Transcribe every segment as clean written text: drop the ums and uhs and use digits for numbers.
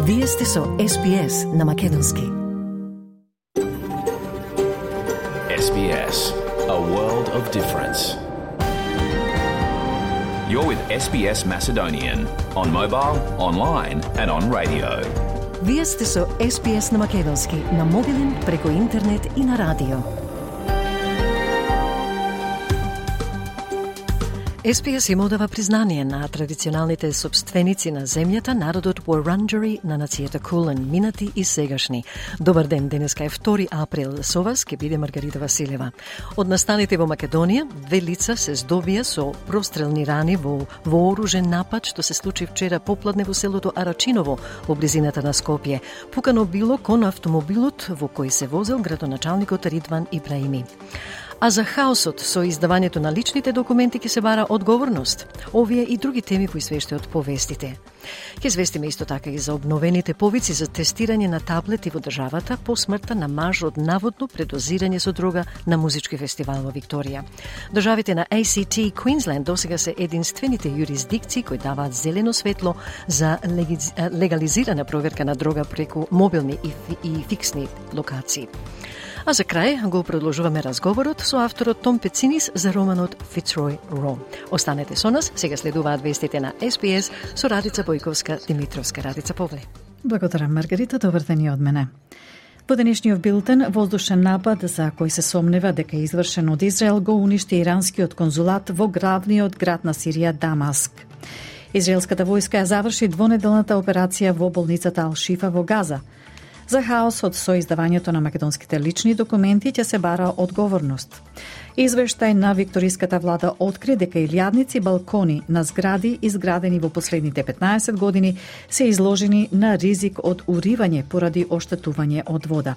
Вие сте со SBS на Македонски. SBS, a world of difference. You're with SBS Macedonian on mobile, online and on radio. Вие сте со SBS на Македонски на мобилен, преку интернет и на радио. SBS им одава признание на традиционалните собственици на земјата, народот Wurundjeri на нацијата Кулен, минати и сегашни. Добар ден, денеска е 2 април. Со вас ке биде Маргарита Василева. Од настаните во Македонија, 2 лица се здобија со прострелни рани во вооружен напад што се случи вчера попладне во селото Арачиново, во близината на Скопје. Пукано било кон автомобилот во кој се возел градоначалникот Ридван Ибраими. А за хаосот со издавањето на личните документи ќе се бара одговорност. Овие и други теми во извештајот повестите. Ќе известиме исто така и за обновените повици за тестирање на таблети во државата по смртта на маж од наводно предозирање со дрога на музички фестивал во Викторија. Државите на ACT и Queensland досега се единствените юрисдикции кои даваат зелено светло за легализирана проверка на дрога преку мобилни и фиксни локации. А за крај го продолжуваме разговорот со авторот Том Пецинис за романот Fitzroy Ро. Останете со нас, сега следуваат вестите на SBS со Радица Бојковска-Димитровска. Радица, повле. Благодарам, Маргарита, добар ден и од мене. Во денешниот билтен, воздушен напад за кој се сомнева дека е извршен од Израел го уништи иранскиот конзулат во главниот град на Сирија, Дамаск. Израелската војска ја заврши двонеделната операција во болницата Ал-Шифа во Газа. За хаосот со издавањето на македонските лични документи ќе се бара одговорност. Извештај на викториската влада откри дека илјадници балкони на згради изградени во последните 15 години се изложени на ризик од уривање поради оштетување од вода.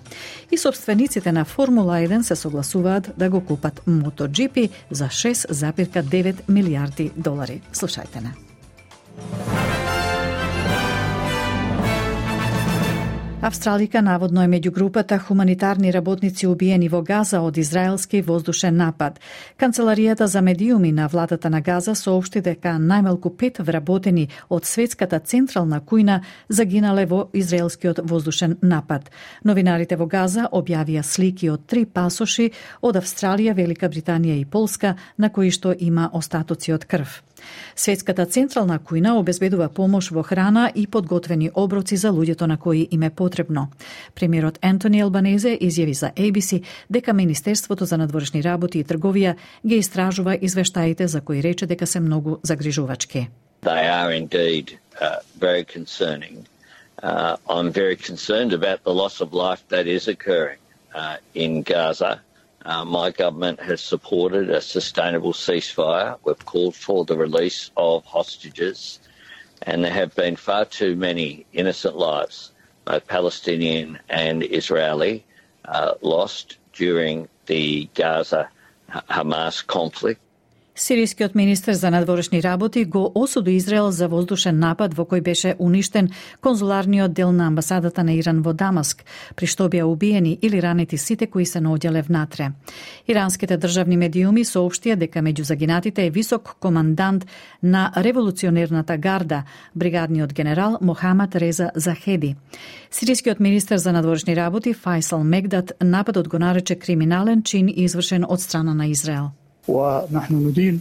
И собствениците на Формула 1 се согласуваат да го купат MotoGP за $6,9 милијарди. Слушајте не. Австралика наводно е меѓу групата хуманитарни работници убиени во Газа од израелски воздушен напад. Канцеларијата за медиуми на владата на Газа соопшти дека најмалку 5 вработени од светската централна кујна загинале во израелскиот воздушен напад. Новинарите во Газа објавија слики од 3 пасоши од Австралија, Велика Британија и Полска на кои што има остатоци од крв. Светската централна кујна обезбедува помош во храна и подготвени оброци за луѓето на кои им е потребно. Премиерот Ентони Албанезе изјави за ABC дека Министерството за надворешни работи и трговија ги истражува извештаите за кои рече дека се многу загрижувачки. They are indeed very concerning. I'm very concerned about the loss of life that is occurring in Gaza. My government has supported a sustainable ceasefire. We've called for the release of hostages, and there have been far too many innocent lives, both Palestinian and Israeli, lost during the Gaza-Hamas conflict. Сирискиот министер за надворешни работи го осуди Израел за воздушен напад во кој беше уништен конзуларниот дел на амбасадата на Иран во Дамаск, при што беа убиени или ранети сите кои се наоѓале внатре. Иранските државни медиуми соопштија дека меѓу загинатите е висок командант на револуционерната гарда, бригадниот генерал Мохамад Реза Захеди. Сирискиот министер за надворешни работи Файсал Мегдат нападот го нарече криминален чин извршен од страна на Израел. ونحن ندين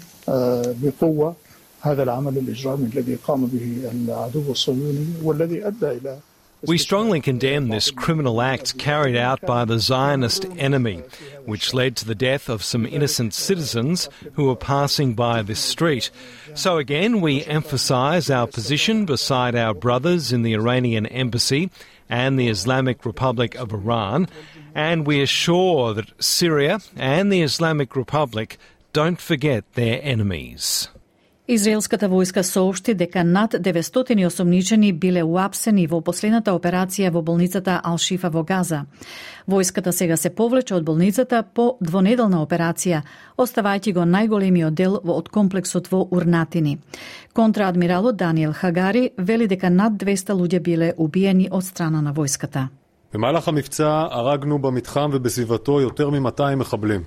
بقوة هذا العمل الإجرامي الذي قام به العدو الصهيوني والذي أدى إلى We strongly condemn this criminal act carried out by the Zionist enemy, which led to the death of some innocent citizens who were passing by this street. So again, we emphasise our position beside our brothers in the Iranian embassy and the Islamic Republic of Iran, and we assure that Syria and the Islamic Republic don't forget their enemies. Израелската војска соопшти дека над 900 осомничени биле уапсени во последната операција во болницата Ал-Шифа во Газа. Војската сега се повлече од болницата по двонеделна операција, оставајќи го најголемиот дел од комплексот во Урнатини. Контраадмиралот Даниел Хагари вели дека над 200 луѓе биле убиени од страна на војската. במהלך המבצע הרגנו במתחם ובסביבתו יותר מ-200 מחבלים.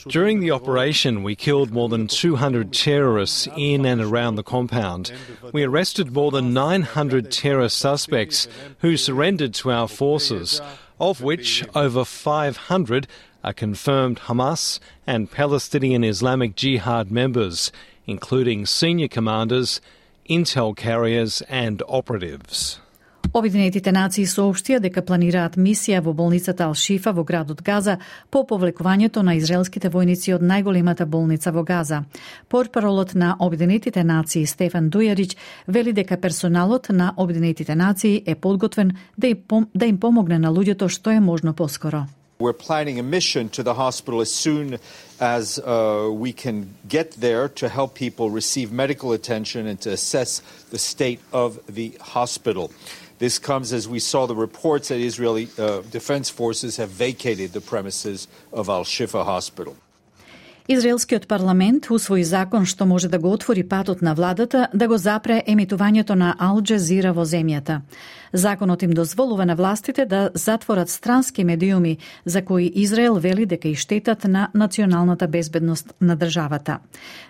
During the operation, we killed more than 200 terrorists in and around the compound. We arrested more than 900 terror suspects who surrendered to our forces, of which over 500 are confirmed Hamas and Palestinian Islamic Jihad members, including senior commanders, intel carriers and operatives. Обединетите нации соопштија дека планираат мисија во болницата Ал-Шифа во градот Газа по повлекувањето на израелските војници од најголемата болница во Газа. Портпаролот на Обединетите нации Стефан Дујарич вели дека персоналот на Обединетите нации е подготвен да им помогне на луѓето што е можно поскоро. We're planning a mission to the hospital as soon as we can get there to help people receive medical attention and to assess the state of the hospital. This comes as we saw the reports that Israeli defense forces have vacated the premises of Al-Shifa Hospital. Израелскиот парламент усвои закон што може да го отвори патот на владата да го запре емитувањето на Ал Джазира во земјата. Законот им дозволува на властите да затворат странски медиуми за кои Израел вели дека и штетат на националната безбедност на државата.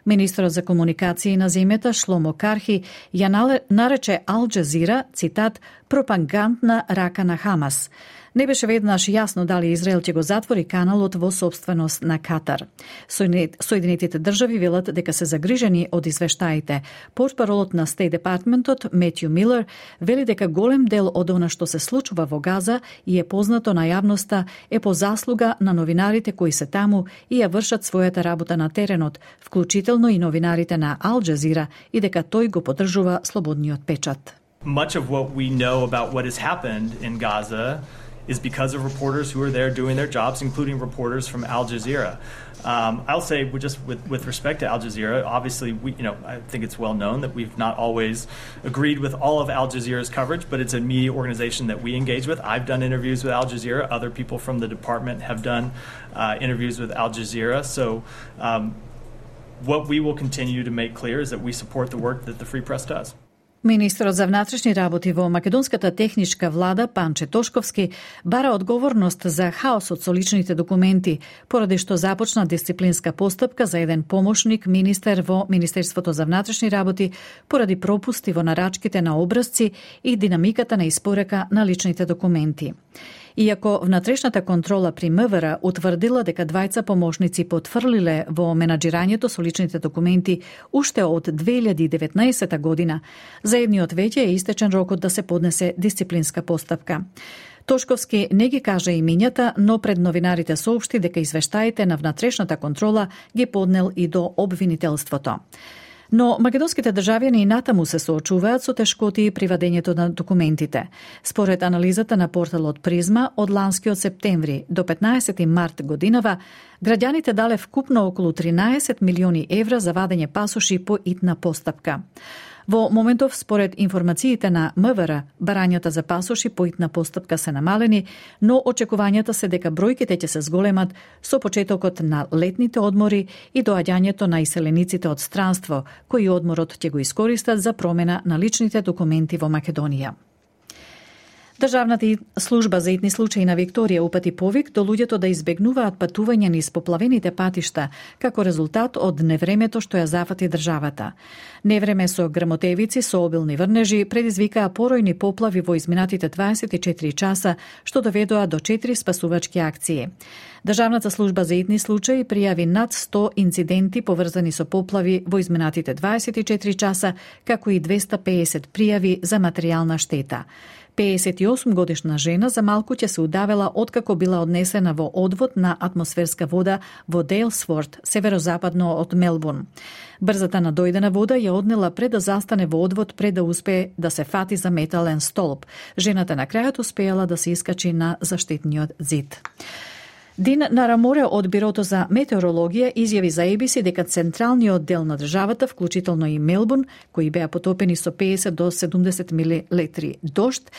Министерот за комуникации на земјата Шломо Кархи ја нарече Ал Джазира, цитат, пропагандна рака на Хамас. Не беше веднаш јасно дали Израел ќе го затвори каналот во сопственост на Катар. Соединетите држави велат дека се загрижени од извештаите. Портпаролот на Стейт Департментот Метју Милер вели дека голем дел од она што се случува во Газа и е познато на јавноста е по заслуга на новинарите кои се таму и ја вршат својата работа на теренот, вклучително и новинарите на Ал Джазира, и дека тој го поддржува слободниот печат. Much of what we know about what has happened in Gaza is because of reporters who are there doing their jobs, including reporters from Al Jazeera. I'll say, with respect to Al Jazeera, obviously, I think it's well known that we've not always agreed with all of Al Jazeera's coverage, but it's a media organization that we engage with. I've done interviews with Al Jazeera. Other people from the department have done interviews with Al Jazeera. So what we will continue to make clear is that we support the work that the Free Press does. Министерот за внатрешни работи во македонската техничка влада Панче Тошковски бара одговорност за хаосот со личните документи, поради што започна дисциплинска постапка за еден помошник министер во Министерството за внатрешни работи поради пропусти во нарачките на образци и динамиката на испорека на личните документи. Иако внатрешната контрола при МВР утврдила дека двајца помошници потврлиле во менаџирањето со личните документи уште од 2019 година, за едниот веќе е истечен рокот да се поднесе дисциплинска постапка. Тошковски не ги кажа имињата, но пред новинарите соопшти дека извештаите на внатрешната контрола ги поднел и до обвинителството. Но македонските државјани и натаму се соочуваат со тешкоти при вадењето на документите. Според анализата на порталот Призма, од ланскиот септември до 15 март годинава, граѓаните дале вкупно околу 13 милиони евра за вадење пасоши по итна постапка. Во моментов, според информациите на МВР, барањата за пасоши по итна постапка се намалени, но очекувањата се дека бројките ќе се зголемат со почетокот на летните одмори и доаѓањето на иселениците од странство, кои одморот ќе го искористат за промена на личните документи во Македонија. Државната служба за итни случаи на Викторија упати повик до луѓето да избегнуваат патување низ поплавените патишта, како резултат од невремето што ја зафати државата. Невреме со грмотевици, со обилни врнежи, предизвикаа поројни поплави во изминатите 24 часа, што доведоа до 4 спасувачки акции. Државната служба за итни случаи пријави над 100 инциденти поврзани со поплави во изминатите 24 часа, како и 250 пријави за материјална штета. 58 годишна жена за малку ќе се удавела откако била однесена во одвод на атмосферска вода во Дейлсворт, северозападно од Мелбурн. Брзата надојдена вода ја однела пред да застане во одвод пред да успее да се фати за метален столб. Жената на крајот успеала да се искачи на заштитниот зид. Дин Нараморе од Бирото за метеорологија изјави за ABC дека централниот дел на државата, вклучително и Мелбурн, кои беа потопени со 50 до 70 милилитри дожд,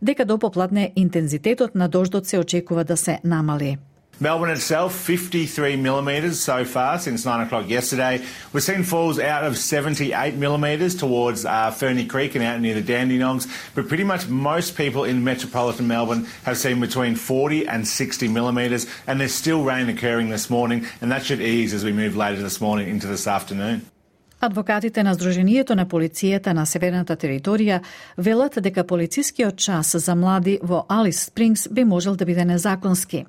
дека до попладне интензитетот на дождот се очекува да се намали. Melbourne itself, 53 millimetres so far since 9 o'clock yesterday. We've seen falls out of 78 millimetres towards Ferny Creek and out near the Dandenongs, but pretty much most people in metropolitan Melbourne have seen between 40 and 60 millimetres, and there's still rain occurring this morning, and that should ease as we move later this morning into this afternoon. Адвокатите на Сдруженијето на полицијата на Северната територија велат дека полицискиот час за млади во Алис Спрингс би можел да биде незаконски.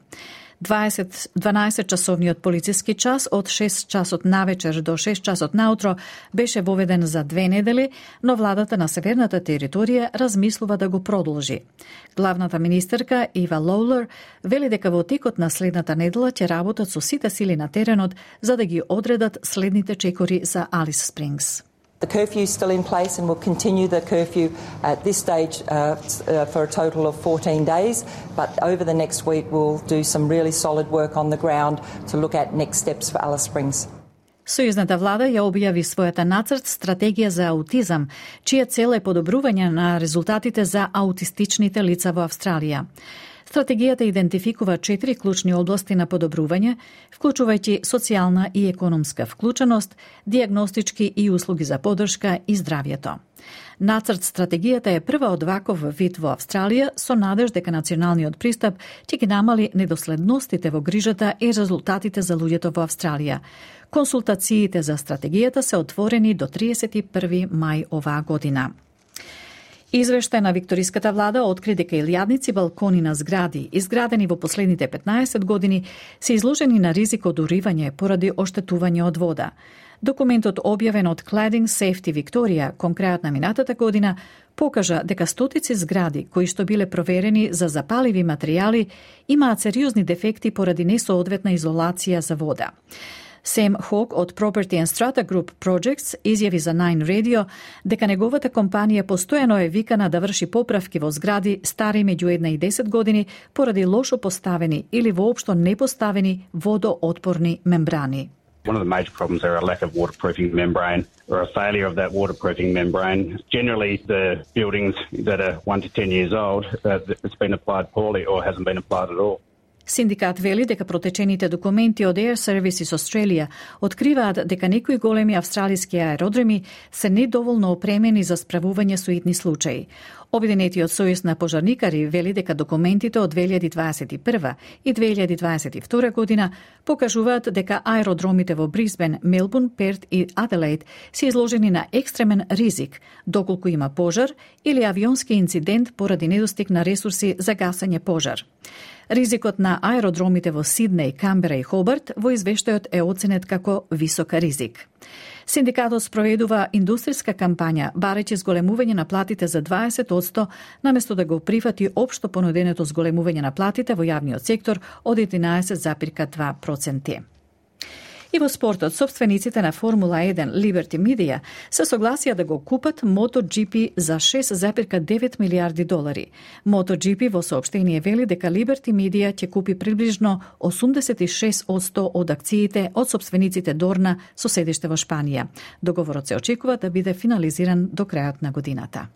12-часовниот полициски час од 6 часот навечер до 6 часот наутро беше воведен за 2 недели, но владата на Северната територија размислува да го продолжи. Главната министерка Ива Лоулер вели дека во текот на следната недела ќе работат со сите сили на теренот за да ги одредат следните чекори за Алис Спрингс. The curfew is still in place and will continue the curfew at this stage for a total of 14 days. But over the next week, we'll do some really solid work on the ground to look at next steps for Alice Springs. Сојузната влада ја објави својата нацрт стратегија за аутизам, чија цел е подобрување на резултатите за аутистичните лица во Австралија. Стратегијата идентификува 4 клучни области на подобрување, вклучувајќи социјална и економска вклученост, дијагностички и услуги за поддршка и здравјето. Нацрт стратегијата е прва од ваков вид во Австралија со надеж дека националниот пристап ќе ги намали недоследностите во грижата и резултатите за луѓето во Австралија. Консултациите за стратегијата се отворени до 31 мај оваа година. Извештај на викториската влада откри дека илјадници балкони на згради, изградени во последните 15 години, се изложени на ризик од уривање поради оштетување од вода. Документот објавен од Cladding Safety Victoria кон крајот на минатата година покажа дека стотици згради кои што биле проверени за запаливи материјали имаат сериозни дефекти поради несоодветна изолација за вода. Сэм Хок од Property and Strata Group Projects изјави за Nine Radio дека неговата компанија постојано е викана да врши поправки во згради стари меѓу 1 и 10 години поради лошо поставени или воопшто непоставени водоотпорни мембрани. One of the major problems are a lack of waterproofing membrane or a failure of that waterproofing membrane. Generally, the buildings that are 1 to 10 years old, it's been applied poorly or hasn't been applied at all. Синдикат вели дека протечените документи од Air Services Australia откриваат дека некои големи австралиски аеродроми се недоволно опремени за справување со итни случаи. Обединетиот сојуз на пожарникари вели дека документите од 2021 и 2022 година покажуваат дека аеродромите во Брисбен, Мелбурн, Перт и Аделаид се изложени на екстремен ризик доколку има пожар или авионски инцидент поради недостиг на ресурси за гасење пожар. Ризикот на аеродромите во Сиднеј, Камбера и Хобарт во извештајот е оценет како висок ризик. Синдикатот спроведува индустријска кампања, барејќи зголемување на платите за 20%, наместо да го прифати општо понуденото зголемување на платите во јавниот сектор од 11,2%. И во спортот, собствениците на Формула 1 Liberty Media се согласија да го купат MotoGP за $6,9 милиарди. MotoGP во соопштение вели дека Liberty Media ќе купи приближно 86% од акциите од собствениците Дорна со седиште во Шпанија. Договорот се очекува да биде финализиран до крајот на годината.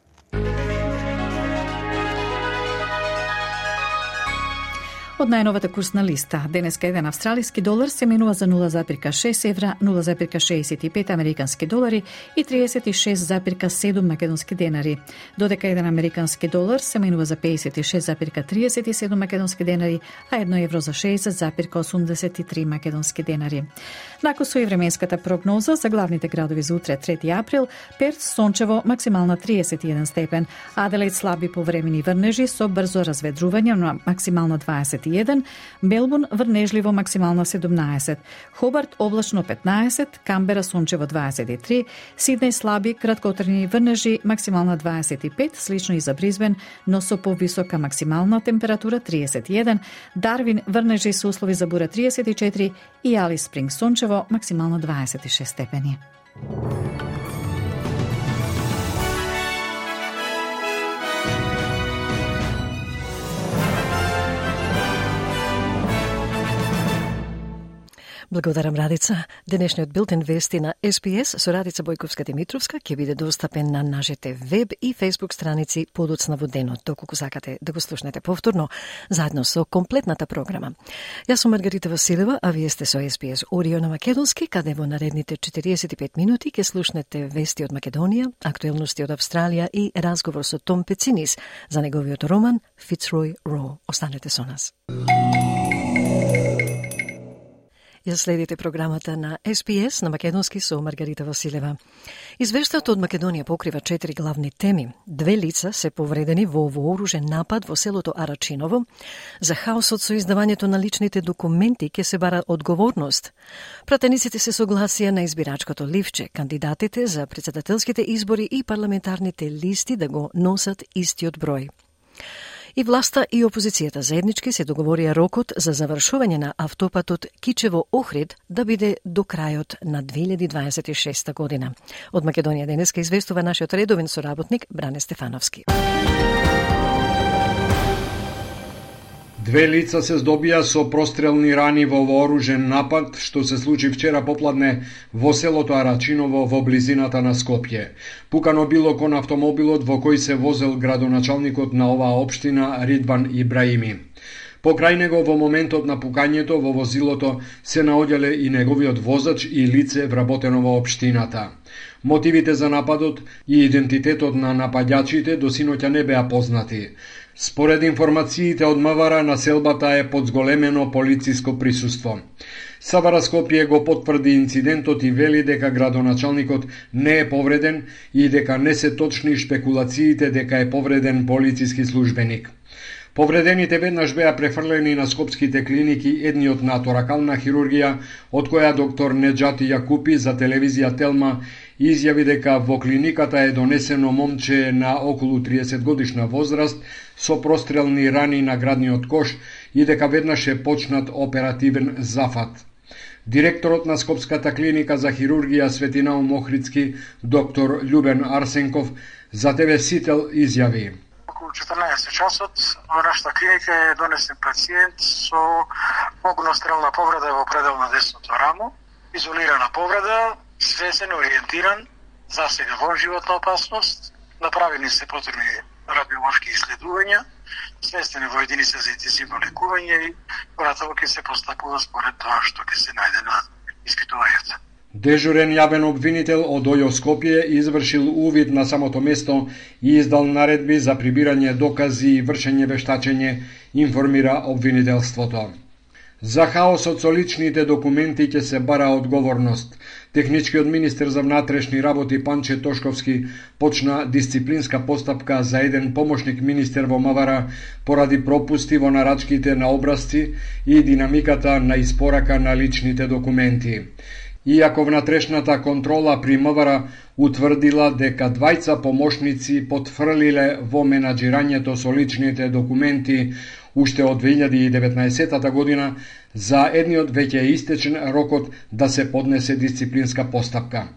Од најновата курсна листа, денеска еден австралиски долар се менува за 0,6 евра, 0,65 американски долари и 36,7 македонски денари, додека еден американски долар се менува за 56,37 македонски денари, а 1 евро за 60,83 македонски денари. Након со и временската прогноза за главните градови за утре 3 април, Перт сончево максимална 31 степен, Аделаид слаби повремени врнежи со брзо разведрување на максимално 21, Мелбурн врнежливо максимално 17, Хобарт облачно 15, Камбера сончево 23, Сиднеј слаби краткотрени врнежи максимална 25, слично и за Брисбен, но со повисока максимална температура 31, Дарвин врнежи со услови за бура 34 и Алис Спрингс сончево максимално 26 степени. Благодарам, Радица. Денешниот билтен вести на SPS со Радица Бојковска-Димитровска ќе биде достапен на нашите веб и фейсбук страници подоцна во денот, доколку сакате да го слушнете повторно, заедно со комплетната програма. Јас сум Маргарита Василева, а вие сте со SPS Audio на македонски, каде во наредните 45 минути ќе слушнете вести од Македонија, актуелности од Австралија и разговор со Том Пецинис за неговиот роман Fitzroy Raw. Останете со нас. Ја следите програмата на SPS на македонски со Маргарита Василева. Извештајот од Македонија покрива 4 главни теми. 2 лица се повредени во вооружен напад во селото Арачиново. За хаосот со издавањето на личните документи ќе се бара одговорност. Пратениците се согласија на избирачкото ливче, кандидатите за претседателските избори и парламентарните листи да го носат истиот број. И власта и опозицијата заеднички се договорија рокот за завршување на автопатот Кичево-Охрид да биде до крајот на 2026 година. Од Македонија денеска известува нашиот редовен соработник Бране Стефановски. 2 лица се здобија со прострелни рани во вооружен напад, што се случи вчера попладне во селото Арачиново во близината на Скопје. Пукано било кон автомобилот во кој се возел градоначалникот на оваа општина Ридван Ибраими. Покрај него во моментот на пукањето во возилото се наоѓале и неговиот возач и лице вработено во општината. Мотивите за нападот и идентитетот на напаѓачите до синоќа не беа познати. Според информациите од МВР, населбата е под зголемено полициско присуство. Савара Скопје го потврди инцидентот и вели дека градоначалникот не е повреден и дека не се точни шпекулациите дека е повреден полициски службеник. Повредените веднаш беа префрлени на скопските клиники, едниот на торакална хирургија, од која доктор Неджати Јакупи за телевизија Телма изјави дека во клиниката е донесено момче на околу 30 годишна возраст со прострелни рани на градниот кош и дека веднаш е почнат оперативен зафат. Директорот на Скопската клиника за хирургија Светинаум Охридски, доктор Љубен Арсенков, за ТВ Сител изјави: околу 14 часот во нашата клиника е донесен пациент со огнострелна повреда во предел на десното рамо, изолирана повреда, свесен, ориентиран, засега во животна опасност, направени се потребни радиолошки исследувања, сместени во единица за интензивно лекување и понатаму ќе се постапува според тоа што ќе се најде на испитувањата. Дежурен јавен обвинител од ОЈО Скопје извршил увид на самото место и издал наредби за прибирање докази и вршење вештачење, информира обвинителството. За хаосот со личните документи ќе се бара одговорност. Техничкиот министер за внатрешни работи Панче Тошковски почна дисциплинска постапка за еден помошник министер во МВР поради пропусти во нарачките на образци и динамиката на испорака на личните документи. Иако внатрешната контрола при МВР утврдила дека двајца помошници потфрлиле во менаџирањето со личните документи уште од 2019 година, за едниот веќе е истечен рокот да се поднесе дисциплинска постапка.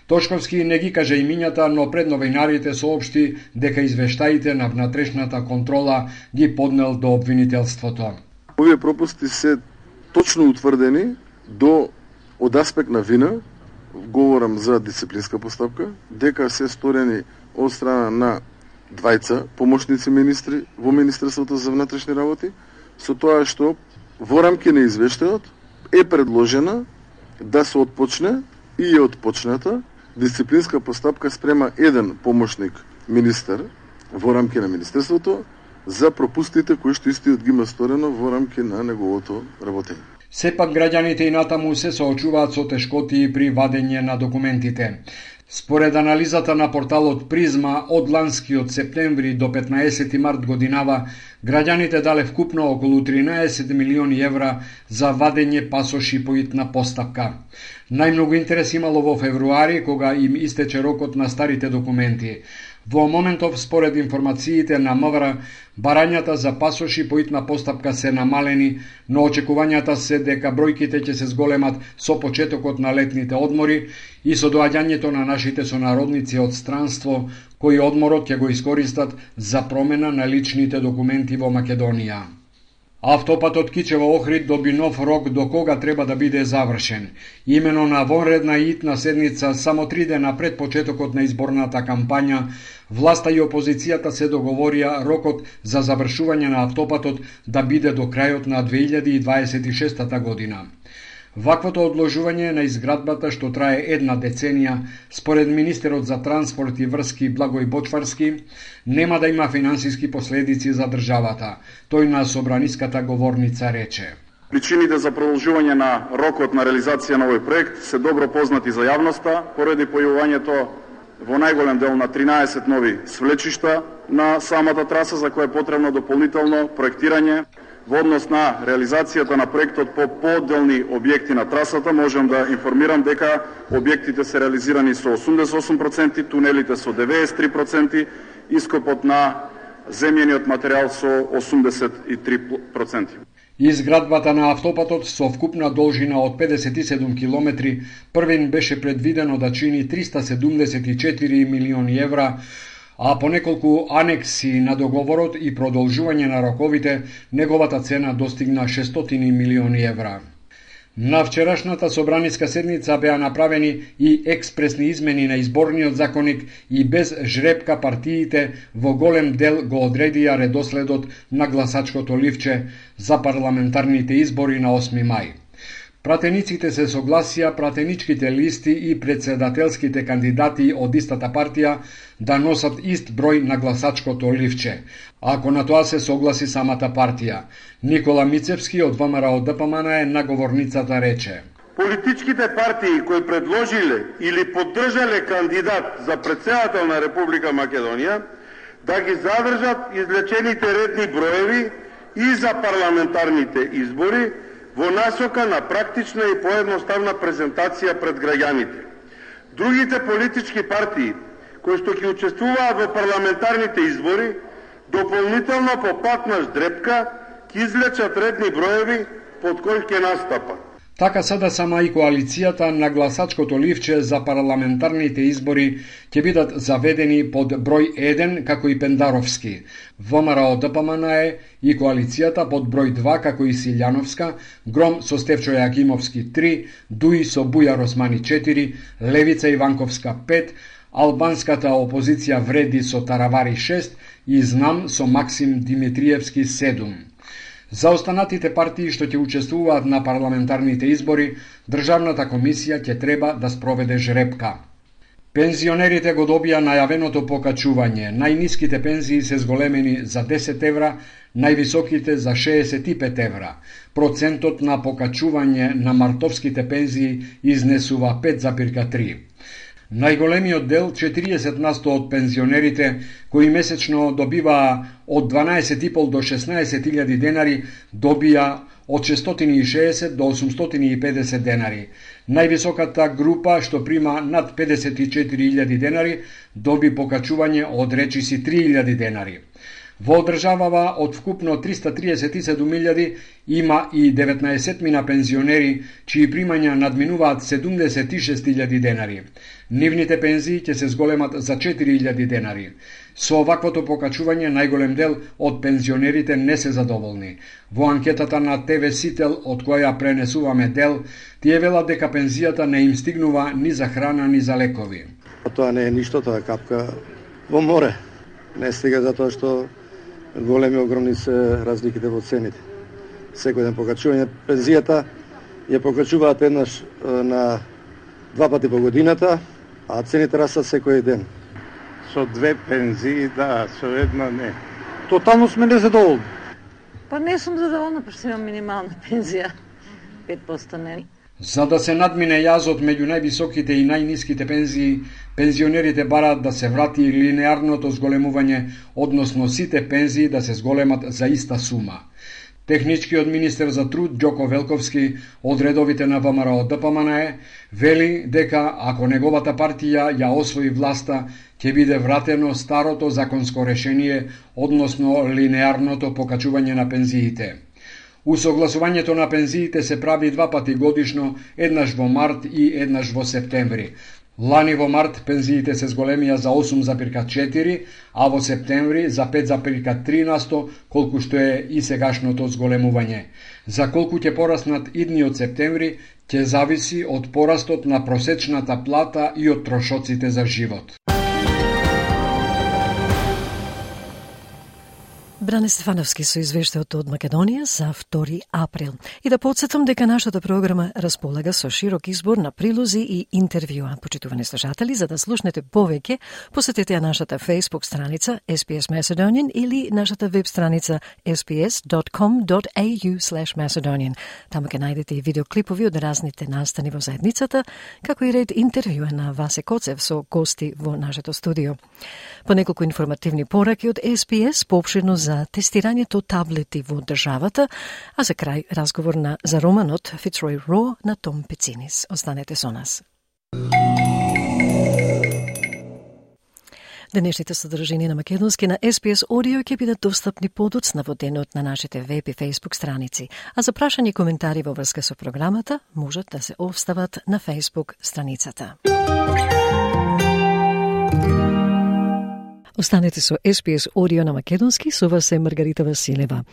Тошковски не ги каже имињата, но пред новинарите соопшти дека извештаите на внатрешната контрола ги поднел до обвинителството. Овие пропусти се точно утврдени од аспект на вина, говорам за дисциплинска постапка, дека се сторени од страна на двајца помошници министри во Министерството за внатрешни работи, со тоа што во рамки на извештајот е предложена да се отпочне и е отпочната дисциплинска постапка спрема еден помошник министер во рамки на Министерството за пропустите кои што истиот ги има сторено во рамки на неговото работење. Сепак граѓаните и натаму се соочуваат со тешкоти при вадење на документите. Според анализата на порталот Призма, од ланскиот септември до 15 март годинава, граѓаните дале вкупно околу 13 милиони евра за вадење пасоши по итна постапка. Најмногу интерес имало во февруари, кога им истече рокот на старите документи. Во моментов, според информациите на МВР, барањата за пасоши по итна постапка се намалени, но очекувањата се дека бројките ќе се зголемат со почетокот на летните одмори и со доаѓањето на нашите сонародници од странство, кои одморот ќе го искористат за промена на личните документи во Македонија. Автопатот Кичево-Охрид доби нов рок до кога треба да биде завршен. Имено на вонредна и итна седница, само 3 дена пред почетокот на изборната кампања, власта и опозицијата се договорија рокот за завршување на автопатот да биде до крајот на 2026 година. Ваквото одложување на изградбата, што трае 1 деценија, според министерот за транспорт и врски Благој Бочварски, нема да има финансиски последици за државата. Тој на собраниската говорница рече: Причините за продолжување на рокот на реализација на овој проект се добро познати за јавноста, поради појавувањето во најголем дел на 13 нови свлечишта на самата траса, за која е потребно дополнително проектирање. Во однос на реализацијата на проектот по поделни објекти на трасата, можам да информирам дека објектите се реализирани со 88%, тунелите со 93%, ископот на земјениот материјал со 83%. Изградбата на автопатот со вкупна должина од 57 километри првин беше предвидено да чини 374 милиони евра, а по неколку анекси на договорот и продолжување на роковите, неговата цена достигна 600 милиони евра. На вчерашната собраниска седница беа направени и експресни измени на изборниот законник и без жребка партиите во голем дел го одредија редоследот на гласачкото ливче за парламентарните избори на 8 мај. Пратениците се согласија пратеничките листи и председателските кандидати од истата партија да носат ист број на гласачкото ливче, ако на тоа се согласи самата партија. Никола Мицевски од ВМРО ДПМН на говорницата рече: Политичките партии кои предложиле или поддржале кандидат за председател на Република Македонија да ги задржат излечените редни броеви и за парламентарните избори, во насока на практична и поедноставна презентација пред граѓаните. Другите политички партии, кои што ќе учествуваат во парламентарните избори, дополнително по пат на ждрепка, ќе излечат редни броеви под кои ќе настапат. Така сада сама и коалицијата на гласачкото ливче за парламентарните избори ќе бидат заведени под број 1 како и Пендаровски, ВМРО ДПМН и коалицијата под број 2 како и Силјановска, Гром со Стефчо Јакимовски 3, Дуи со Бујар Османи 4, Левица Иванковска 5, албанската опозиција Вреди со Таравари 6 и Знам со Максим Димитриевски 7. За останатите партии што ќе учествуваат на парламентарните избори, Државната комисија ќе треба да спроведе жребка. Пензионерите го добија најавеното покачување. Најниските пензии се зголемени за 10 евра, највисоките за 65 евра. Процентот на покачување на мартовските пензии изнесува 5,3. Најголемиот дел, 40% од пензионерите, кои месечно добиваа од 12,5 до 16.000 денари, добија од 660 до 850 денари. Највисоката група, што прима над 54.000 денари, доби покачување од речиси 3.000 денари. Во државава од вкупно 337.000 има и 19 пензионери, чии примања надминуваат 76.000 денари. Нивните пензии ќе се зголемат за 4.000 денари. Со оваквото покачување најголем дел од пензионерите не се задоволни. Во анкетата на ТВ Сител, од која пренесуваме дел, тие велат дека пензијата не им стигнува ни за храна, ни за лекови. Тоа не е ништо, тоа е капка во море. Не стига затоа што големи, огромни се разликите во цените. Секој ден покачување пензијата ја покачуваат еднаш на 2 пати по годината, а цените растат секој ден. Со 2 пензии, да, со една не. Тотално сме незадоволни. Па не сум задоволна, пошто имам минимална пензија. 5% не. За да се надмине јазот меѓу највисоките и најниските пензии, пензионерите бараат да се врати линеарното зголемување, односно сите пензии да се зголемат за иста сума. Техничкиот министер за труд Ѓоко Велковски од редовите на ВМРО ДПМН вели дека ако неговата партија ја освои власта, ќе биде вратено старото законско решение, односно линеарното покачување на пензиите. Усогласувањето на пензиите се прави 2 пати годишно, еднаш во март и еднаш во септември. Лани во март пензиите се зголемија за 8,4, а во септември за 5,3%, колку што е и сегашното зголемување. За колку ќе пораснат идниот септември, ќе зависи од порастот на просечната плата и од трошоците за живот. Бране Стефановски со извештајот од Македонија за 2 април. И да подсетам дека нашата програма располага со широк избор на прилози и интервјуа. Почитувани слушатели, за да слушнете повеќе, посетете ја нашата Facebook страница SPS Macedonian или нашата веб страница sps.com.au/Macedonian. Таму ќе најдете и видеоклипови од разните настани во заедницата, како и ред интервјуа на Васе Коцев со гости во нашето студио. По неколку информативни пораки од SPS, поопширно за тестирањето таблети во државата, а за крај разговор за романот Fitzroy Raw на Том Пецинис. Останете со нас. Денешните содржини на македонски на SPS Audio ќе бидат достапни подоцна во денот на нашите веб и Facebook страници, а за прашање и коментари во врска со програмата можат да се остават на Facebook страницата. Останете со SPS Audio на македонски, со вас е Маргарита Василева.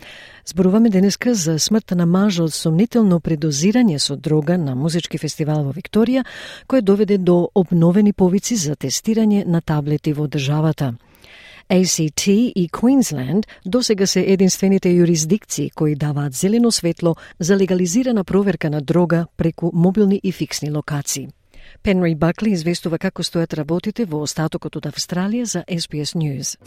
Зборуваме денеска за смртта на маж од сомнително предозирање со дрога на музички фестивал во Викторија, кој доведе до обновени повици за тестирање на таблети во државата. ACT и Queensland досега се единствените юрисдикции кои даваат зелено светло за легализирана проверка на дрога преку мобилни и фиксни локации. Пенри Бакли известува како стојат работите во остатокот од Австралија за SBS News.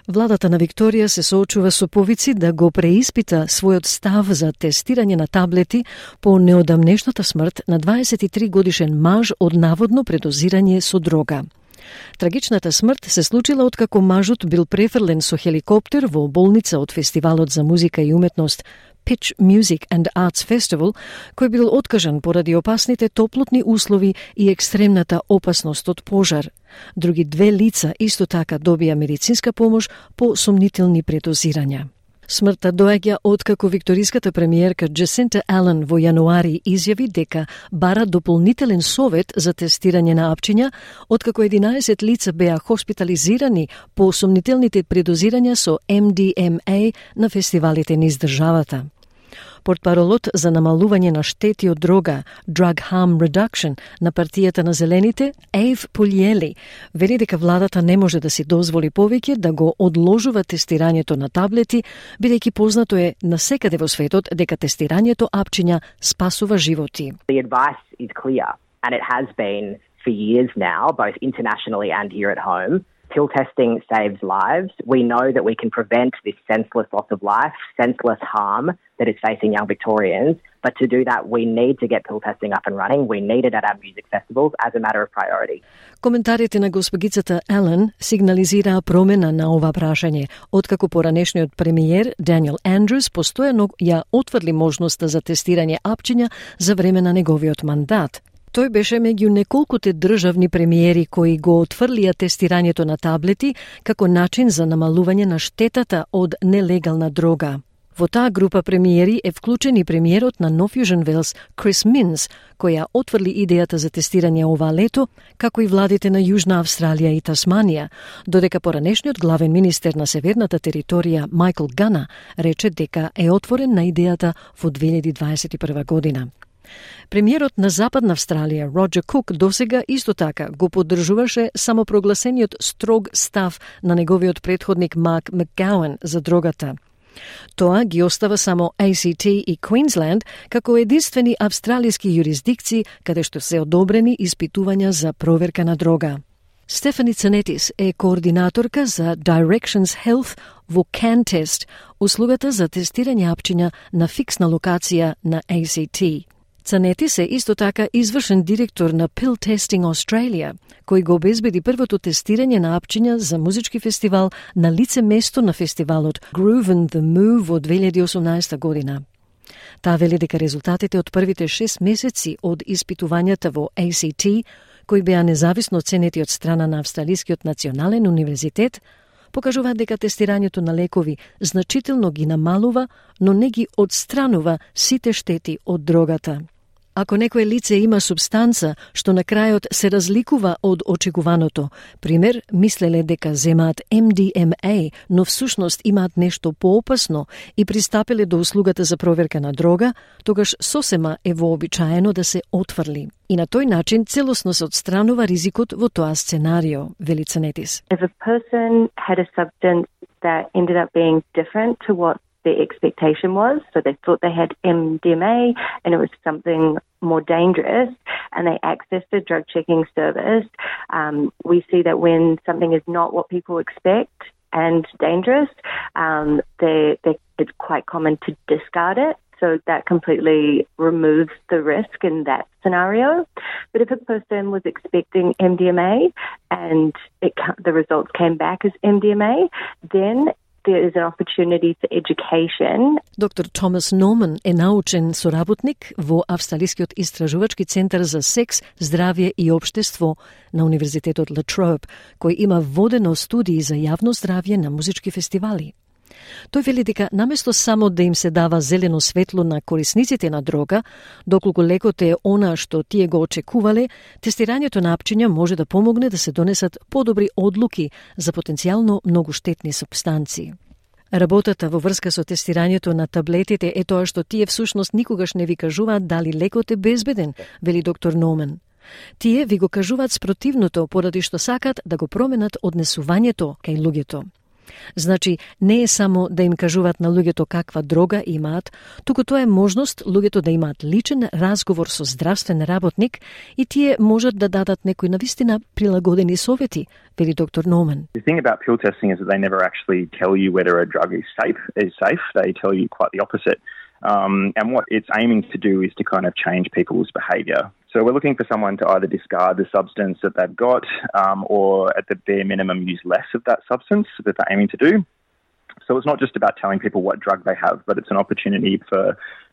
Владата на Викторија се соочува со повици да го преиспита својот став за тестирање на таблети по неодамнешната смрт на 23 годишен маж од наводно предозирање со дрога. Трагичната смрт се случила откако мажот бил префрлен со хеликоптер во болница од фестивалот за музика и уметност Pitch Music and Arts Festival, кој бил откажан поради опасните топлотни услови и екстремната опасност од пожар. Други 2 лица исто така добија медицинска помош по сомнителни предозирања. Смртта доаѓа откако викториската премиерка Джесинта Ален во јануари изјави дека бара дополнителен совет за тестирање на апчиња, откако 11 лица беа хоспитализирани по сомнителните предозирања со MDMA на фестивалите низ државата. Портпаролот за намалување на штети од дрога, Drug Harm Reduction, на партијата на Зелените, Ейв Пулјели, вели дека владата не може да си дозволи повеќе да го одложува тестирањето на таблети, бидејќи познато е насекаде во светот дека тестирањето апчиња спасува животи. The advice is clear, and it has been for years now, both internationally and here at home. Pill testing saves lives. We know that we can prevent this senseless loss of life, senseless harm that is facing young Victorians. But to do that, we need to get pill testing up and running. We need it at our music festivals as a matter of priority. Коментарите на госпогицата Ален сигнализираа промена на ова прашање, откако поранешниот премиер Даниел Андрус постојано ја отврли можноста за тестирање апчиња за време на неговиот мандат. Тој беше меѓу неколкуте државни премиери кои го отфрлија тестирањето на таблети како начин за намалување на штетата од нелегална дрога. Во таа група премиери е вклучен и премиерот на Нов Јужен Велс Крис Минс, која отфрли идејата за тестирање ова лето, како и владите на Јужна Австралија и Тасманија, додека поранешниот главен министер на северната територија Майкл Гана рече дека е отворен на идејата во 2021 година. Премиерот на Западна Австралија, Роджер Кук, досега исто така го поддржуваше самопрогласениот строг став на неговиот претходник Марк Макгауен за дрогата. Тоа ги остава само ACT и Queensland како единствени австралиски юрисдикции каде што се одобрени испитувања за проверка на дрога. Стефани Цанетис е координаторка за Directions Health во CanTest, услугата за тестирање апчиња на фиксна локација на ACT. Цанетис е исто така извршен директор на Pill Testing Australia, кој го обезбеди првото тестирање на апчиња за музички фестивал на лице место на фестивалот Groove in the Move во 2018 година. Таа вели дека резултатите од првите 6 месеци од испитувањата во ACT, кои беа независно оценети од страна на Австралискиот национален универзитет, покажуваат дека тестирањето на лекови значително ги намалува, но не ги одстранува сите штети од дрогата. Ако некое лице има субстанца што на крајот се разликува од очекуваното, пример, мислеле дека земаат MDMA, но всушност имаат нешто поопасно и пристапиле до услугата за проверка на дрога, тогаш сосема е вообичаено да се отфрли. И на тој начин целосно се отстранува ризикот во тоа сценарио, вели Цанетис. If a person had a substance that ended up being different to what their expectation was, so they thought they had MDMA and it was something more dangerous, and they accessed a drug checking service, we see that when something is not what people expect and dangerous, it's quite common to discard it. So that completely removes the risk in that scenario. But if a person was expecting MDMA and the results came back as MDMA, then there is an opportunity for education. Доктор Томас Норман е научен соработник во Австралискиот истражувачки центар за секс, здравје и општество на Универзитетот La Trobe, кој има водено студии за јавно здравје на музички фестивали. Тој вели дека наместо само да им се дава зелено светло на корисниците на дрога, доколку лекот е она што тие го очекувале, тестирањето на апчиња може да помогне да се донесат подобри одлуки за потенцијално многу штетни супстанции. Работата во врска со тестирањето на таблетите е тоа што тие всушност никогаш не ви кажуваат дали лекот е безбеден, вели доктор Норман. Тие ви го кажуваат спротивното поради што сакат да го променат однесувањето кај луѓето. Значи, не е само да им кажуваат на луѓето каква дрога имаат, туку тоа е можност луѓето да имаат личен разговор со здравствен работник и тие можат да дадат некои навистина прилагодени совети, вели доктор Норман. The thing about pill testing is that they never actually tell you whether a drug is safe. They tell you quite the opposite. And what it's aiming to do is to kind of change people's behaviour. So we're looking for someone to either discard the substance that they've got or at the bare minimum use less of that substance that they're aiming to do. So it's not just about telling people what drug they have, but it's an opportunity for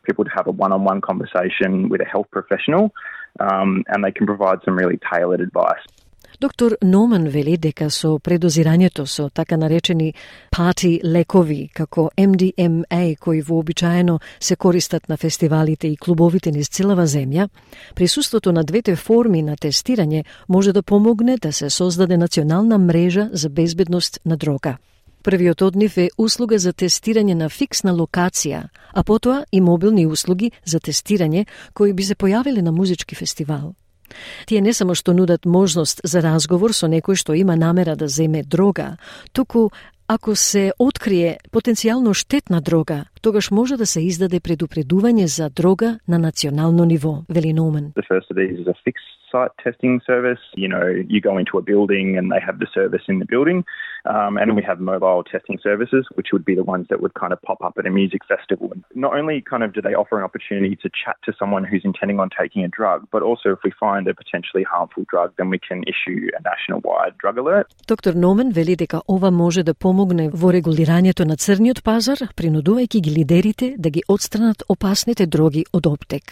people to have a one-on-one conversation with a health professional and they can provide some really tailored advice. Доктор Норман вели дека со предозирањето со така наречени парти лекови, како MDMA, кои вообичаено се користат на фестивалите и клубовите низ целава земја, присуството на двете форми на тестирање може да помогне да се создаде национална мрежа за безбедност на дрога. Првиот од нив е услуга за тестирање на фиксна локација, а потоа и мобилни услуги за тестирање кои би се појавиле на музички фестивал. Тие не само што нудат можност за разговор со некој што има намера да земе дрога, туку ако се открие потенцијално штетна дрога, тогаш може да се издаде предупредување за дрога на национално ниво, вели Норман. The first of these is a fixed site testing service. You know, you go into a building and they have the service in the building. And we have mobile testing services, which would be the ones that would kind of pop up at a music festival. And not only kind of do they offer an opportunity to chat to someone who's intending on taking a drug, but also if we find a potentially harmful drug, then we can issue a national-wide drug alert. Доктор Норман вели дека ова може да помогне во регулирањето на црниот пазар, принудувајќи ги лидерите да ги отстранат опасните дроги од оптек.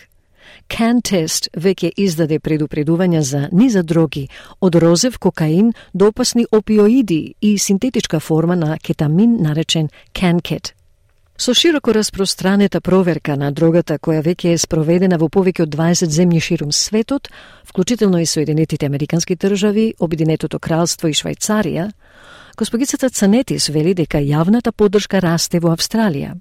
CanTest веќе издаде предупредувања за низа дроги, од розев кокаин до опасни опиоиди и синтетичка форма на кетамин наречен CanKet. Со широко распространета проверка на дрогата која веќе е спроведена во повеќе од 20 земји ширум светот, вклучително и Соединетите американски држави, Обединетото кралство и Швајцарија, госпогицата Цанетис вели дека јавната поддршка расте во Австралија.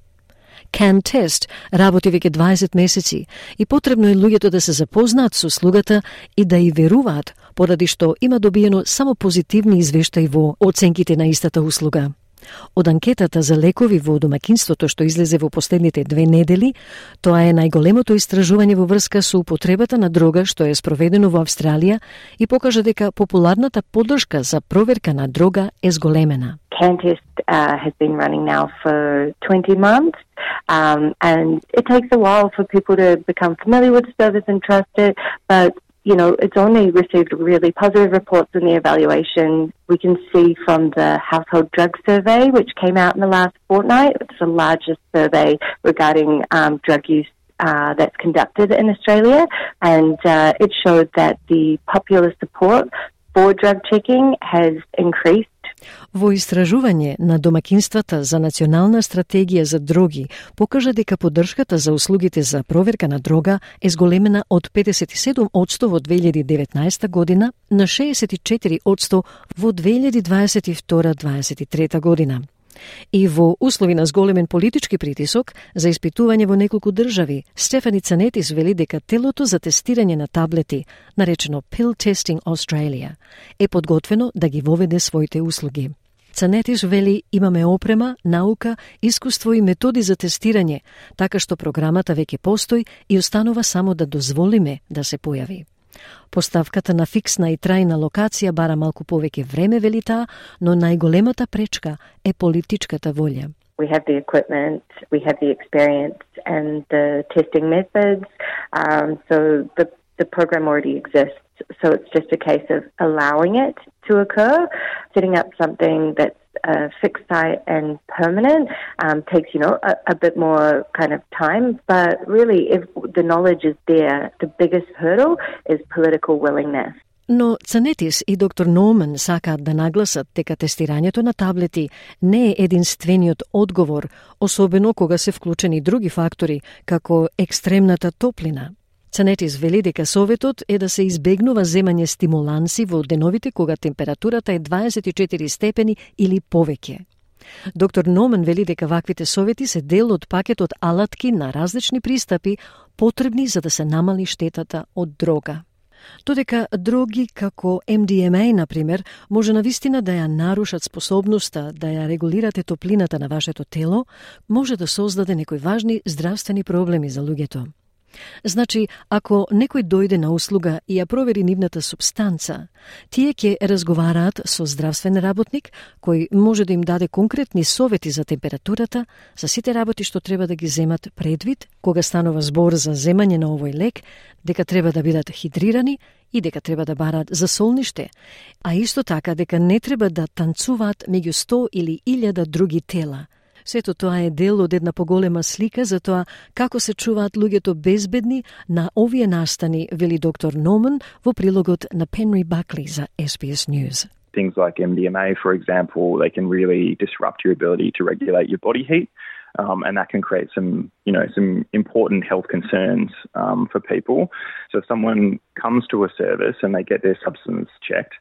CanTest работи веќе 20 месеци и потребно е луѓето да се запознаат со услугата и да и веруваат, поради што има добиено само позитивни извештаи во оценките на истата услуга. Од анкетата за лекови во домаќинството што излезе во последните 2 недели, тоа е најголемото истражување во врска со употребата на дрога што е спроведено во Австралија и покажа дека популарната поддршка за проверка на дрога е зголемена. CanTest has been running now for 20 months, and it takes a while for people to become familiar with the service and trust it, but you know, it's only received really positive reports in the evaluation. We can see from the Household Drug Survey, which came out in the last fortnight. It's the largest survey regarding drug use that's conducted in Australia, and it showed that the popular support for drug checking has increased. Во истражување на домакинствата за национална стратегија за дроги покажа дека поддршката за услугите за проверка на дрога е зголемена од 57% во 2019 година на 64% во 2022-2023 година. И во услови на зголемен политички притисок за испитување во неколку држави, Стефани Цанетис вели дека телото за тестирање на таблети, наречено Pill Testing Australia, е подготвено да ги воведе своите услуги. Цанетис вели имаме опрема, наука, искуство и методи за тестирање, така што програмата веќе постои и останува само да дозволиме да се појави. Поставката на фиксна и трајна локација бара малку повеќе време, вели таа, но најголемата пречка е политичката волја. We have the equipment, we have the experience and the testing methods, so the program already exists. So it's just a case of allowing it to occur. Setting up something that's fixed site and permanent takes, a bit more kind of time. But really, if the knowledge is there, the biggest hurdle is political willingness. Но Цанетис и доктор Ноуман сакаат да нагласат дека тестирањето на таблети не е единствениот одговор, особено кога се вклучени други фактори, како екстремната топлина. Цанетис вели дека советот е да се избегнува земање стимуланси во деновите кога температурата е 24 степени или повеќе. Доктор Номан вели дека ваквите совети се дел од пакетот алатки на различни пристапи потребни за да се намали штетата од дрога. Додека дроги како MDMA, например, може навистина да ја нарушат способноста да ја регулирате топлината на вашето тело, може да создаде некои важни здравствени проблеми за луѓето. Значи, ако некој дојде на услуга и ја провери нивната субстанца, тие ќе разговараат со здравствен работник кој може да им даде конкретни совети за температурата, за сите работи што треба да ги земат предвид кога станува збор за земање на овој лек, дека треба да бидат хидрирани и дека треба да бараат за солниште, а исто така дека не треба да танцуваат меѓу 100 или 1000 други тела. Сето тоа е дел од една поголема слика за тоа како се чуваат луѓето безбедни на овие настани, вели доктор Номан во прилогот на Penry Buckley за SBS News. Things like MDMA, for example, they can really disrupt your ability to regulate your body heat, and that can create some important health concerns for people. So if someone comes to a service and they get their substance checked,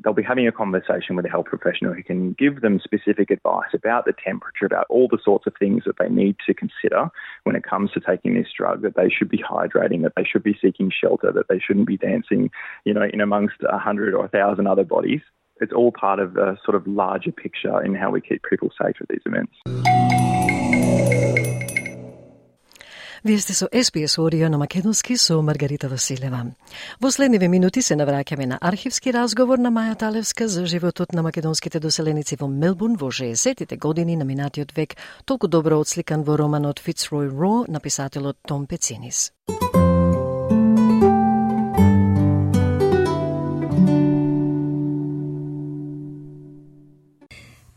they'll be having a conversation with a health professional who can give them specific advice about the temperature, about all the sorts of things that they need to consider when it comes to taking this drug, that they should be hydrating, that they should be seeking shelter, that they shouldn't be dancing, in amongst 100 or 1,000 other bodies. It's all part of a sort of larger picture in how we keep people safe at these events. Вие сте со SBS Audio на македонски со Маргарита Василева. Во следниве минути се навраќаме на архивски разговор на Маја Талевска за животот на македонските доселеници во Мелбурн во 60-тите години на минатиот век, толку добро отсликан во романот Fitzroy Raw на писателот Том Пецинис.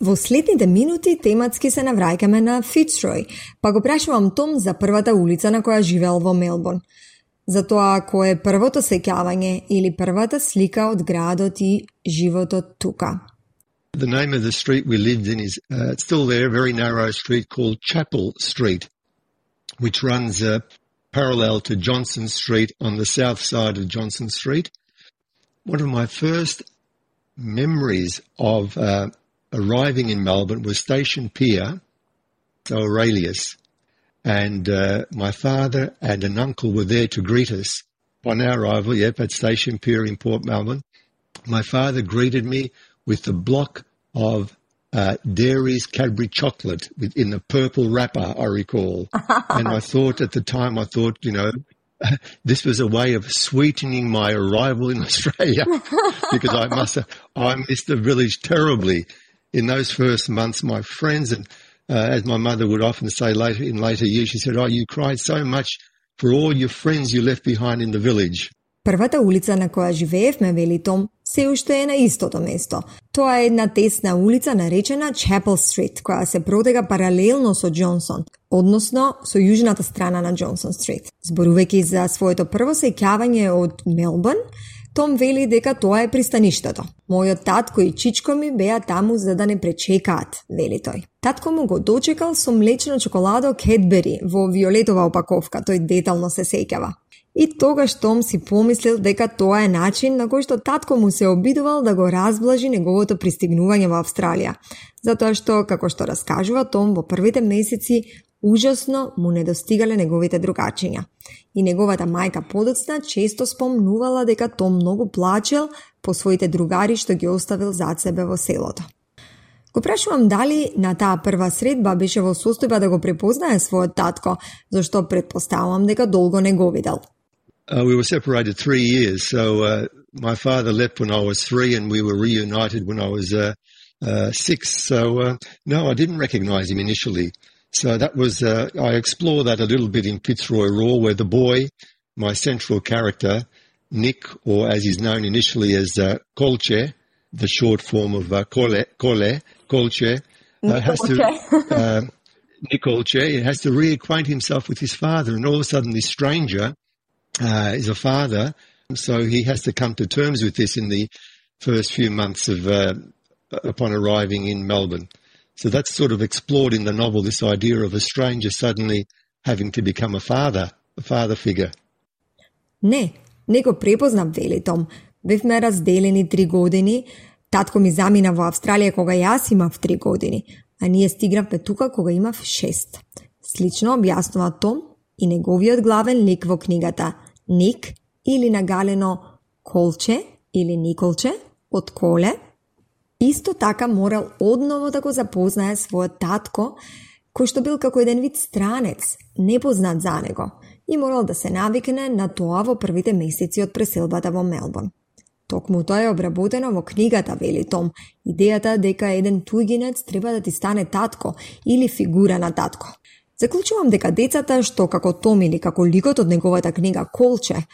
Во следните минути тематски се навраќаме на Fitzroy, па го прашувам Том за првата улица на која живеел во Мелбурн. За тоа кој е првото сеќавање или првата слика од градот и животот тука. The name of the street we lived in is still there, a very narrow street called Chapel Street, which runs parallel to Johnson Street on the south side of Johnson Street. One of my first memories of arriving in Melbourne was Station Pier, so Aurelius, and my father and an uncle were there to greet us on our arrival, at Station Pier in Port Melbourne. My father greeted me with the block of Dairy's Cadbury chocolate in the purple wrapper, I recall. And I thought at the time, this was a way of sweetening my arrival in Australia because I missed the village terribly. In those first months, my friends, and as my mother would often say in later years, she said, you cried so much for all your friends you left behind in the village. Првата улица на која живеевме, вели Том, се уште е на истото место. Тоа е една тесна улица наречена Chapel Street, која се протега паралелно со Джонсон, односно со јужната страна на Джонсон Стрит. Зборувајќи за своето прво сеќавање од Мелбурн, Том вели дека тоа е пристаништето. Мојот татко и чичко ми беа таму за да не пречекаат, вели тој. Татко му го дочекал со млечно чоколадо Кедбери во виолетова опаковка, тој детално се сеќава. И тогаш Том си помислил дека тоа е начин на кој што татко му се обидувал да го разблажи неговото пристигнување во Австралија, затоа што, како што раскажува Том, во првите месеци ужасно му недостигале неговите другачиња. И неговата мајка подоцна често спомнувала дека Том многу плачел по своите другари што ги оставил зад себе во селото. Го прашувам дали на таа прва средба беше во состојба да го препознае својот татко, зашто предпоставувам дека долго не го видел. We were separated 3 years, so my father left when I was 3 and we were reunited when I was 6. So no, I didn't recognise him initially. So that was, I explore that a little bit in Fitzroy Raw, where the boy, my central character, Nick, or as he's known initially as Kolche, the short form of Kolche, has to, Nick Kolche, has to reacquaint himself with his father, and all of a sudden this stranger is a father, so he has to come to terms with this in the first few months of upon arriving in Melbourne. So that's sort of explored in the novel, this idea of a stranger suddenly having to become a father figure. Не го препознав, вели Том. Бевме разделени 3 години. Татко ми замина во Австралија кога јас имав 3 години, а ние стигнавме тука кога имав 6. Слично објаснува Том и неговиот главен лик во книгата, Ник, или нагалено Колче или Николче, од Коле, исто така морал одново да го запознае својот татко, кој што бил како еден вид странец, непознат за него, и морал да се навикне на тоа во првите месеци од преселбата во Мелбурн. Токму тоа е обработено во книгата, вели Том, идејата дека еден туѓинец треба да ти стане татко или фигура на татко. Заклучувам дека децата што како Том или како ликот од неговата книга Колче,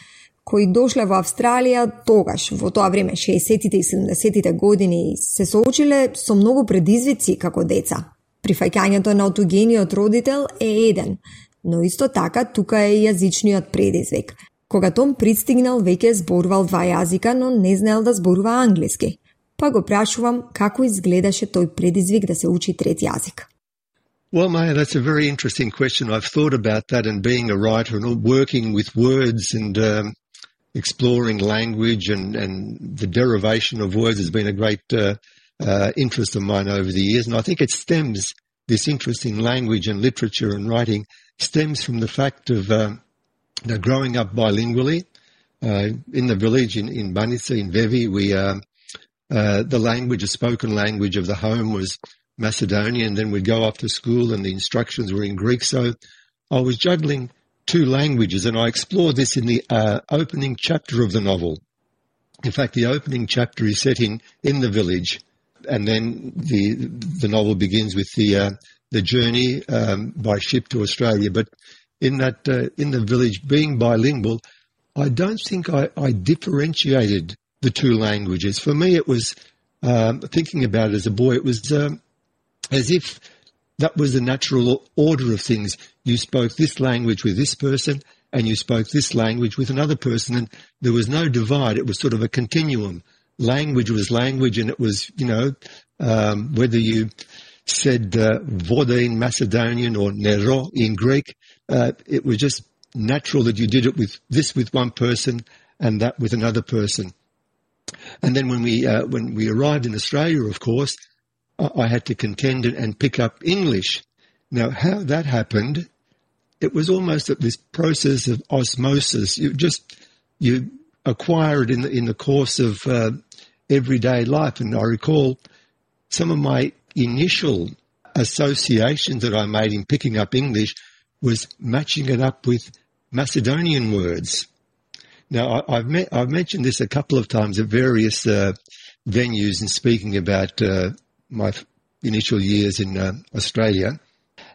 кои дошле во Австралија тогаш, во тоа време, 60-тите и 70-тите години, се соочиле со многу предизвици како деца. Прифаќањето на отугениот родител е еден, но исто така тука е и јазичниот предизвик. Кога Том пристигнал, веќе зборувал 2 јазика, но не знаел да зборува англиски. Па го прашувам како изгледаше тој предизвик да се учи 3 јазик. Well, Maya, that's a very interesting question. I've thought about that, and being a writer and working with words and exploring language and the derivation of words has been a great interest of mine over the years. And I think it stems, this interest in language and literature and writing stems from the fact of growing up bilingually. In the village in Banitsa, in Vevi, the language, the spoken language of the home was Macedonian. Then we'd go off to school and the instructions were in Greek. So I was juggling 2 languages, and I explored this in the opening chapter of the novel. In fact, the opening chapter is set in the village, and then the novel begins with the journey by ship to Australia. But in the village, being bilingual, I don't think I differentiated the 2 languages. For me, it was thinking about it as a boy. It was as if that was the natural order of things. You spoke this language with this person, and you spoke this language with another person, and there was no divide. It was sort of a continuum. Language was language, and it was, whether you said voda in Macedonian or nero in Greek, it was just natural that you did it with one person and that with another person. And then when we arrived in Australia, of course, I had to contend and pick up English. Now, how that happened, it was almost this process of osmosis. You acquire it in the course of everyday life. And I recall some of my initial associations that I made in picking up English was matching it up with Macedonian words. Now, I've mentioned this a couple of times at various venues in speaking about my initial years in Australia,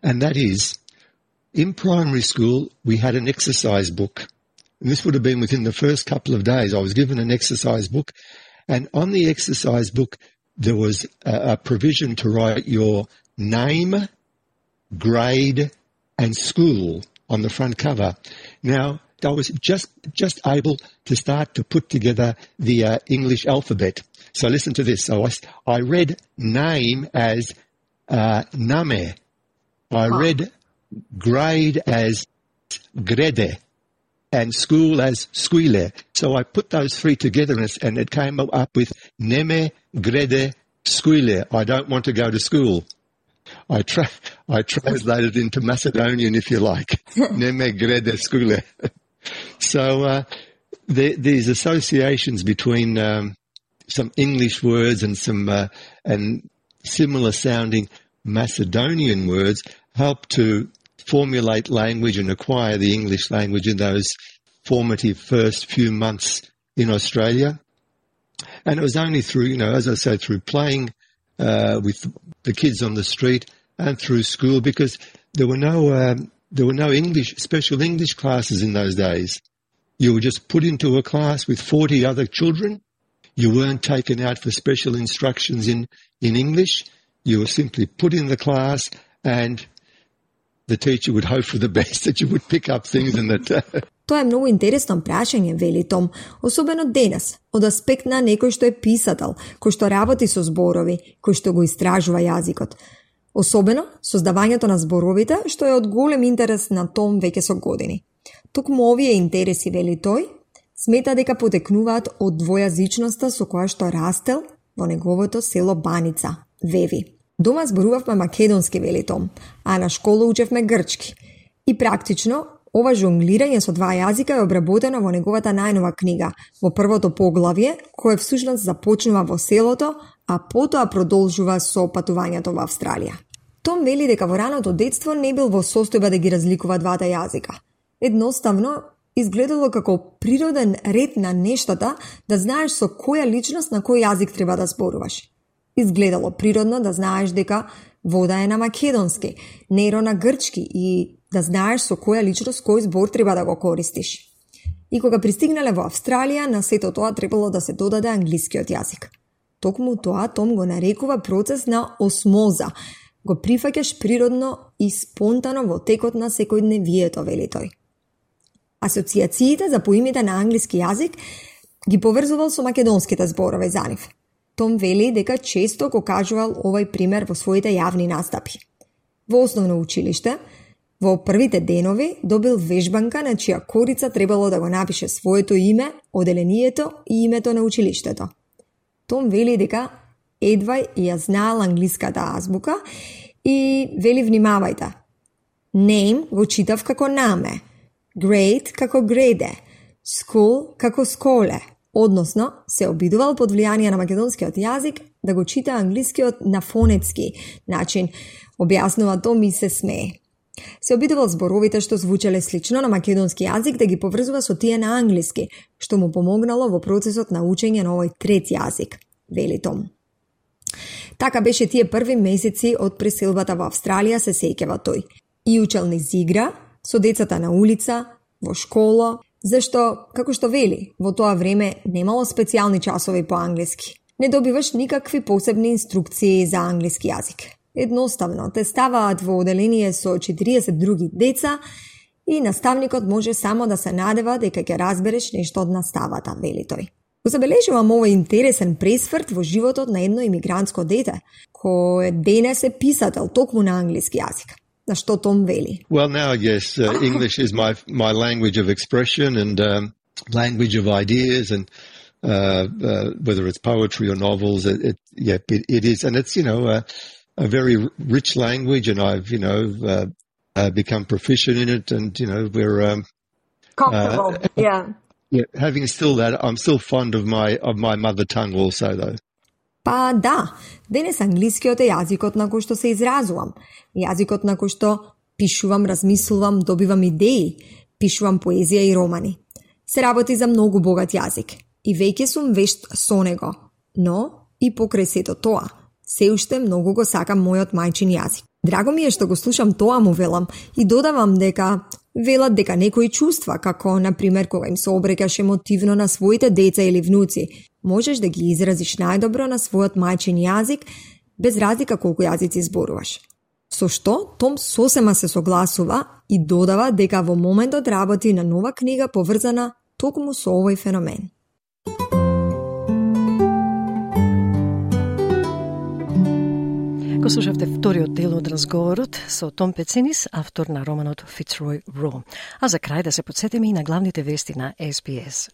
and that is, in primary school, we had an exercise book. And this would have been within the first couple of days. I was given an exercise book, and on the exercise book, there was a provision to write your name, grade, and school on the front cover. Now, I was just able to start to put together the English alphabet. So listen to this. So I read name as name. I read grade as grede and school as squile. So I put those three together and it came up with neme grede squile. I don't want to go to school. I translated into Macedonian, if you like. Neme grede squile. So these associations between some English words and some and similar sounding Macedonian words help to formulate language and acquire the English language in those formative first few months in Australia. And it was only through, as I said, through playing with the kids on the street and through school, because there were no special English classes in those days. You were just put into a class with 40 other children. You weren't taken out for special instructions in English. You were simply put in the class and the teacher would hope for the best that you would pick up things and that... Тоа е многу интересно прашање, вели Том, особено денес, од аспект на некој што е писател, кој што работи со зборови, кој што го истражува јазикот. Особено создавањето на зборовите, што е од голем интерес на Том веќе со години. Токму овие интереси, вели тој, смета дека потекнуваат од двојазичноста со која што растел во неговото село Баница, Веви. Дома зборувавме македонски, вели Том, а на школа учевме грчки. И практично, ова жонглирање со два јазика е обработено во неговата најнова книга, во првото поглавје, кое всушност започнува во селото, а потоа продолжува со патувањето во Австралија. Том вели дека во раното детство не бил во состојба да ги разликува двата јазика. Едноставно, изгледало како природен ред на нештата да знаеш со која личност на кој јазик треба да зборуваш. Изгледало природно да знаеш дека вода е на македонски, неро на грчки и да знаеш со која личност кој збор треба да го користиш. И кога пристигнале во Австралија, на сето тоа требало да се додаде англискиот јазик. Токму тоа Том го нарекува процес на осмоза. Го прифаќаш природно и спонтано во текот на секојдневието, вели тој. Асоциациите за поимите на англиски јазик ги поврзувал со македонските зборови за нив. Том вели дека често го кажувал овој пример во своите јавни настапи. Во основно училиште, во првите денови добил вежбанка на чија корица требало да го напише своето име, оделението и името на училиштето. Том вели дека едва ја знаел англиската азбука и вели внимавајте. Name го читав како наме, grade како греде, school како сколе. Односно, се обидувал под влијание на македонскиот јазик да го чита англискиот на фонетски начин, објаснува Том и се смее. Се обидувал зборовите што звучеле слично на македонски јазик да ги поврзува со тие на англиски, што му помогнало во процесот на учење на овој трет јазик, вели Том. Така беше тие први месеци од преселбата во Австралија, се сеќава тој. И учел низ игра, со децата на улица, во школа, зашто, како што вели, во тоа време немало специјални часови по англиски. Не добиваш никакви посебни инструкции за англиски јазик. Едноставно, те ставаат во оделение со 40 други деца и наставникот може само да се надева дека ќе разбереш нешто од наставата, вели тој. Го забележувам овој интересен пресврт во животот на едно имигрантско дете, кој денес е писател токму на англиски јазик. На што Том вели? Well, now I guess English is my language of expression and language of ideas, and whether it's poetry or novels, it is, and it's a very rich language, and I've become proficient in it, and we're comfortable. Yeah, having still that, I'm still fond of my mother tongue also, though. Па да, денес англискиот е јазикот на кој што се изразувам, јазикот на кој што пишувам, размислувам, добивам идеи, пишувам поезија и романи. Се работи за многу богат јазик и веќе сум вешт со него, но и покрај сето тоа, се уште многу го сакам мојот мајчин јазик. Драго ми е што го слушам тоа, му велам, и додавам дека велат дека некои чувства, како, например, кога им се обрекаш емотивно на своите деца или внуци, можеш да ги изразиш најдобро на својот мајчин јазик, без разлика колку јазици зборуваш. Со што Том сосема се согласува и додава дека во моментот работи на нова книга поврзана токму со овој феномен. Го слушавте вториот дел од разговорот со Том Пецинис, автор на романот Fitzroy Raw. А за крај да се подсетиме и на главните вести на SBS.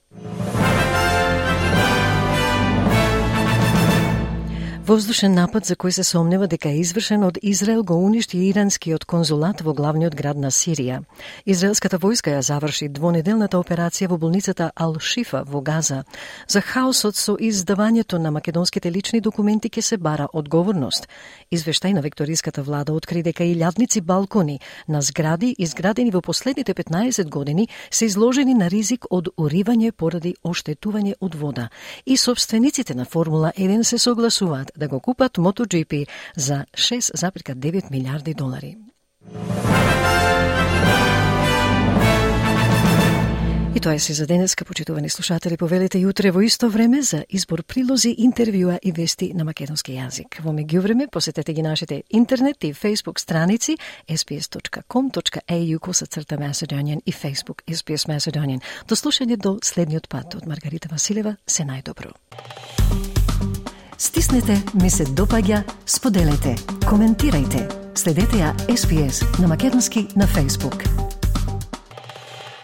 Воздушен напад за кој се сомнева дека е извршен од Израел го уништи иранскиот конзулат во главниот град на Сирија. Израелската војска ја заврши двонеделната операција во болницата Ал-Шифа во Газа. За хаосот со издавањето на македонските лични документи ќе се бара одговорност. Извештај на викториската влада откри дека илјадници балкони на згради изградени во последните 15 години се изложени на ризик од уривање поради оштетување од вода. И собствениците на Формула 1 се согласуваат да го купат MotoGP за $6,9 милиарди. И тоа е се за денеска, почитувани слушатели. Повелете јутре во исто време за избор прилози, интервјуа и вести на македонски јазик. Во меѓувреме посетете ги нашите интернет и Facebook страници sbs.com.au/Macedonian и Facebook SBS Macedonian. До слушање до следниот пат. Од Маргарита Василева, се најдобро. Стиснете, ми се допаѓа, споделете, коментирајте. Следете ја SBS на македонски на Facebook.